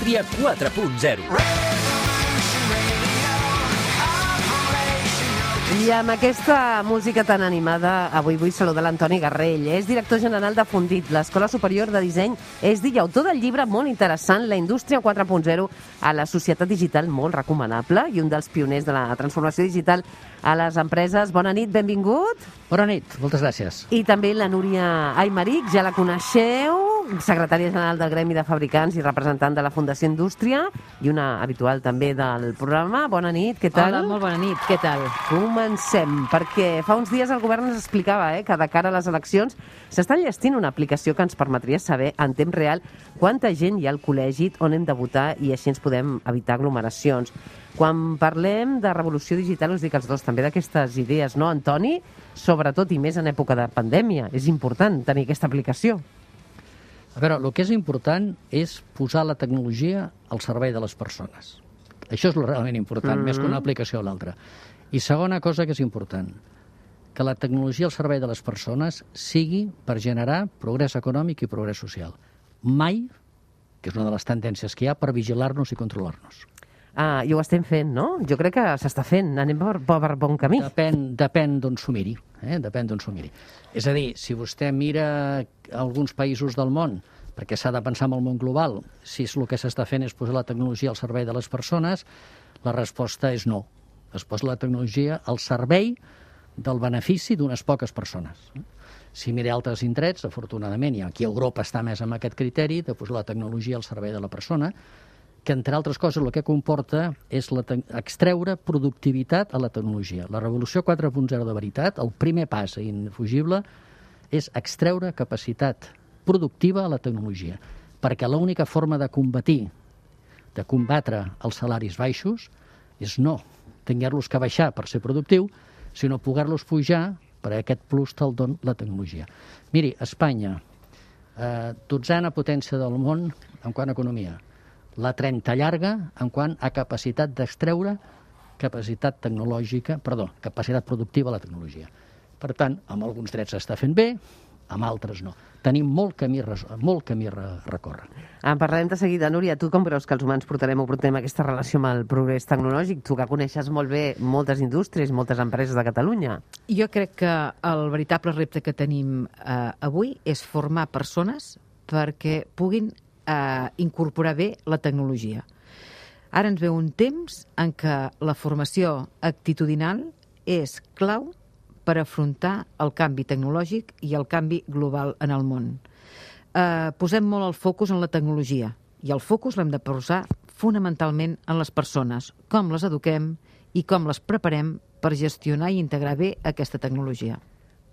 Indústria 4.0. I amb aquesta música tan animada, avui vull saludar l'Antoni Garrell. És director general de Fundit, l'Escola Superior de Disseny ESDI i autor del llibre molt interessant, La Indústria 4.0 a la societat digital, molt recomanable, i un dels pioners de la transformació digital a les empreses. Bona nit, benvingut. Bona nit, moltes gràcies. I també la Núria Aymeric, ja la coneixeu, secretària general del Gremi de Fabricants i representant de la Fundació Indústria, i una habitual també del programa. Bona nit, què tal? Hola, molt bona nit, què tal? Comencem, perquè fa uns dies el govern ens explicava que de cara a les eleccions s'està enllestint una aplicació que ens permetria saber en temps real quanta gent hi ha al col·legi, on hem de votar, i així ens podem evitar aglomeracions. Quan parlem de revolució digital, us dic els dos també d'aquestes idees, no, Antoni? Sobretot i més en època de pandèmia. És important tenir aquesta aplicació. A veure, el que és important és posar la tecnologia al servei de les persones. Això és realment important, més que una aplicació o l'altra. I segona cosa que és important, que la tecnologia al servei de les persones sigui per generar progrés econòmic i progrés social. Mai, que és una de les tendències que hi ha, per vigilar-nos i controlar-nos. I ho estem fent, no? Jo crec que s'està fent. Anem per bon camí. Depèn d'on s'ho miri. Depèn d'on s'ho miri. És a dir, si vostè mira alguns països del món, perquè s'ha de pensar en el món global, si el que s'està fent és posar la tecnologia al servei de les persones, la resposta és no. Es posa la tecnologia al servei del benefici d'unes poques persones. Si mira altres indrets, afortunadament, i aquí Europa està més amb aquest criteri de posar la tecnologia al servei de la persona, que, entre altres coses, el que comporta és extreure productivitat a la tecnologia. La revolució 4.0 de veritat, el primer pas indefugible, és extreure capacitat productiva a la tecnologia, perquè l'única forma de combatre els salaris baixos és no tenir-los que baixar per ser productiu, sinó poder-los pujar per aquest plus te'l don la tecnologia. Miri, Espanya, 12a potència del món en quant a economia, la 30 llarga en quant a capacitat d'extreure capacitat productiva a la tecnologia. Per tant, amb alguns drets s'està fent bé, amb altres no. Tenim molt camí a recórrer. En parlarem de seguida. Núria, tu com creus que els humans portarem aquesta relació amb el progrés tecnològic? Tu que coneixes molt bé moltes indústries, moltes empreses de Catalunya. Jo crec que el veritable repte que tenim avui és formar persones perquè puguin incorporar bé la tecnologia. Ara ens ve un temps en què la formació actitudinal és clau per afrontar el canvi tecnològic i el canvi global en el món. Posem molt el focus en la tecnologia i el focus l'hem de posar fonamentalment en les persones, com les eduquem i com les preparem per gestionar i integrar bé aquesta tecnologia.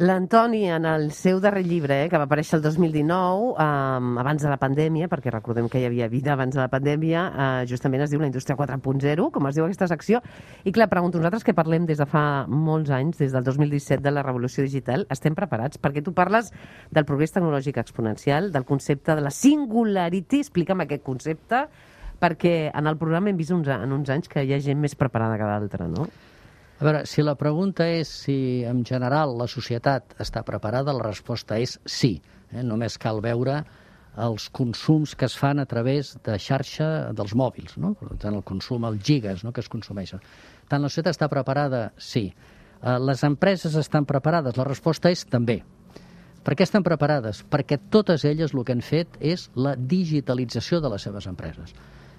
L'Antoni, en el seu darrer llibre, que va aparèixer el 2019, abans de la pandèmia, perquè recordem que hi havia vida abans de la pandèmia, justament es diu La Indústria 4.0, com es diu aquesta secció. I clar, pregunto, nosaltres que parlem des de fa molts anys, des del 2017, de la revolució digital, estem preparats? Perquè tu parles del progrés tecnològic exponencial, del concepte de la singularity. Explica'm aquest concepte, perquè en el programa hem vist en uns anys que hi ha gent més preparada que d'altra, no? A veure, si la pregunta és si en general la societat està preparada, la resposta és sí. Només cal veure els consums que es fan a través de xarxa dels mòbils, no? Per tant, el consum, els gigas, no?, que es consumeixen. Tant la societat està preparada? Sí. Les empreses estan preparades? La resposta és també. Per què estan preparades? Perquè totes elles el que han fet és la digitalització de les seves empreses.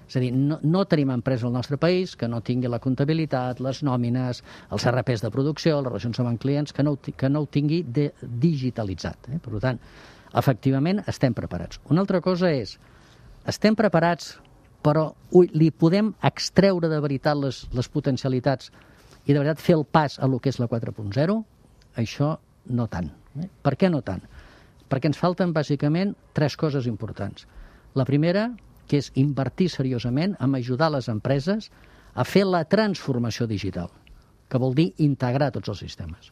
És a dir, no tenim empresa al nostre país que no tingui la comptabilitat, les nòmines, els RPs de producció, les relacions amb clients, que no ho tingui digitalitzat. Per tant, efectivament, estem preparats. Una altra cosa és, estem preparats, però li podem extreure de veritat les potencialitats i de veritat fer el pas a lo que és la 4.0? Això no tant. Per què no tant? Perquè ens falten, bàsicament, 3 coses importants. La primera, que és invertir seriosament en ajudar les empreses a fer la transformació digital, que vol dir integrar tots els sistemes.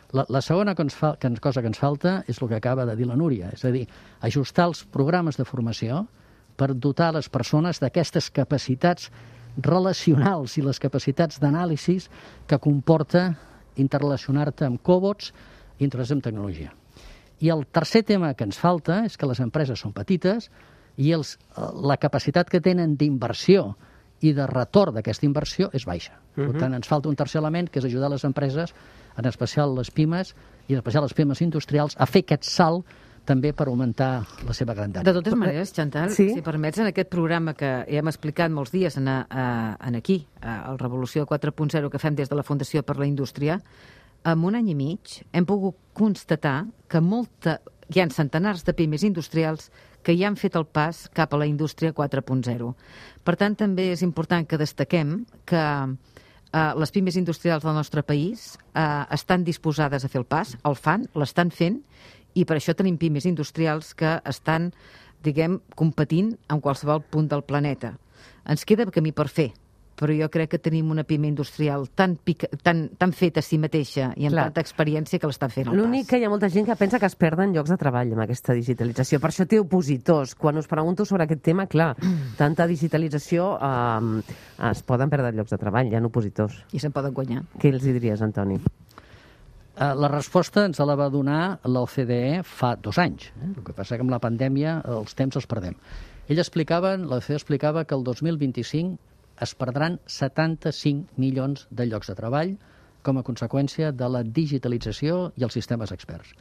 La segona cosa que ens falta és el que acaba de dir la Núria, és a dir, ajustar els programes de formació per dotar les persones d'aquestes capacitats relacionals i les capacitats d'anàlisis que comporta interrelacionar-te amb cobots i interrelacionar amb tecnologia. I el tercer tema que ens falta és que les empreses són petites i la capacitat que tenen d'inversió i de retorn d'aquesta inversió és baixa. Per tant, ens falta un tercer element, que és ajudar les empreses, en especial les pimes, i en especial les pimes industrials, a fer aquest salt també per augmentar la seva grandària. De totes maneres, Chantal, si permets, en aquest programa que ja hem explicat molts dies aquí, el Revolució 4.0 que fem des de la Fundació per la Indústria, en un any i mig hem pogut constatar que hi ha centenars de pimes industrials que ja han fet el pas cap a la indústria 4.0. Per tant, també és important que destaquem que les pimes industrials del nostre país estan disposades a fer el pas, el fan, l'estan fent, i per això tenim pimes industrials que estan, competint en qualsevol punt del planeta. Ens queda camí per fer, però jo crec que tenim una pime industrial tan feta a si mateixa i amb tanta experiència que l'està fent el pas. L'únic que hi ha molta gent que pensa que es perden llocs de treball amb aquesta digitalització. Per això té opositors. Quan us pregunto sobre aquest tema, clar, tanta digitalització es poden perdre llocs de treball, hi ha opositors. I se'n poden guanyar. Què els diries, Antoni? La resposta ens la va donar l'OCDE fa 2 anys. El que passa que amb la pandèmia els temps els perdem. L'OCDE explicava que el 2025 es perdran 75 milions de llocs de treball com a conseqüència de la digitalització i els sistemes experts.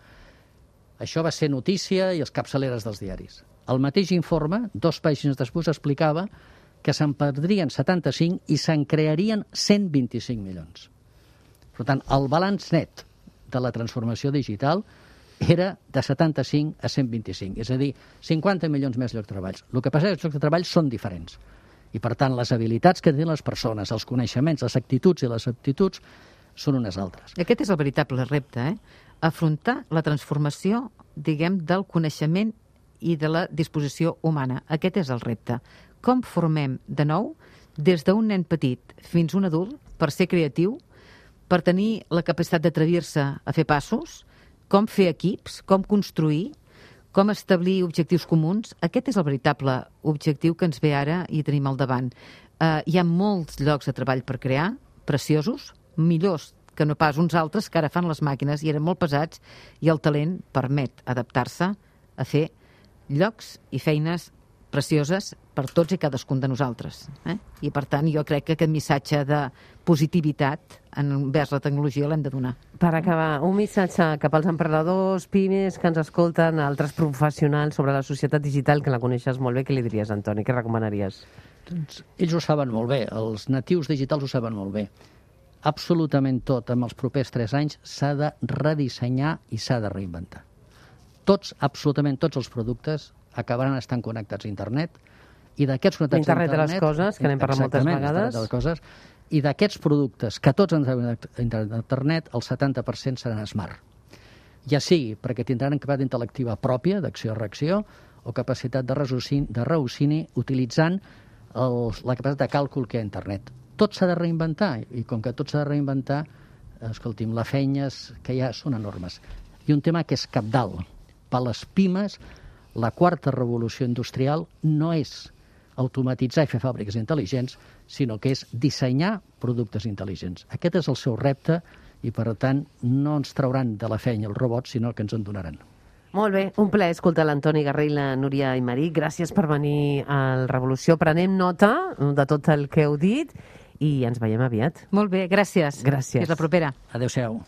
Això va ser notícia i els capçaleres dels diaris. El mateix informe, 2 pàgines després, explicava que se'n perdrien 75 i se'n crearien 125 milions. Per tant, el balanç net de la transformació digital era de 75 a 125, és a dir, 50 milions més llocs de treball. El que passa és que els llocs de treball són diferents. I, per tant, les habilitats que tenen les persones, els coneixements, les actituds i les aptituds són unes altres. Aquest és el veritable repte, afrontar la transformació, del coneixement i de la disposició humana. Aquest és el repte. Com formem de nou, des d'un nen petit fins a un adult, per ser creatiu, per tenir la capacitat d'atrevir-se a fer passos, com fer equips, com construir, com establir objectius comuns. Aquest és el veritable objectiu que ens ve ara i tenim al davant. Hi ha molts llocs de treball per crear, preciosos, millors que no pas uns altres que ara fan les màquines i eren molt pesats, i el talent permet adaptar-se a fer llocs i feines precioses per tots i cadascun de nosaltres. I, per tant, jo crec que aquest missatge de positivitat envers la tecnologia l'hem de donar. Per acabar, un missatge cap als emprenedors, pimes que ens escolten, altres professionals sobre la societat digital, que la coneixes molt bé. Què li diries, Antoni? Què recomanaries? Doncs ells ho saben molt bé, els natius digitals ho saben molt bé. Absolutament tot, en els propers 3 anys, s'ha de redissenyar i s'ha de reinventar. Absolutament tots els productes acabaran estant connectats a internet, i d'aquests connectats a internet... Internet de les coses, que n'hem parlat moltes vegades. De les coses, i d'aquests productes que tots ens han a internet, el 70% seran smart. Ja sigui perquè tindran capacitat intel·lectiva pròpia, d'acció-reacció, o capacitat de raciocinio utilitzant la capacitat de càlcul que hi ha a internet. Tot s'ha de reinventar, i com que tot s'ha de reinventar, escolti'm, les feines que hi ha són enormes. I un tema que és cabdal. Per les pimes, la 4ª revolució industrial no és automatitzar i fer fàbriques intel·ligents, sinó que és dissenyar productes intel·ligents. Aquest és el seu repte i, per tant, no ens trauran de la feina els robots, sinó que ens en donaran. Molt bé, un plaer escoltar l'Antoni Garrell, la Núria Aymerich. Gràcies per venir al Revolució. Prenem nota de tot el que heu dit i ens veiem aviat. Molt bé, gràcies. Gràcies. Fins la propera. Adéu-siau.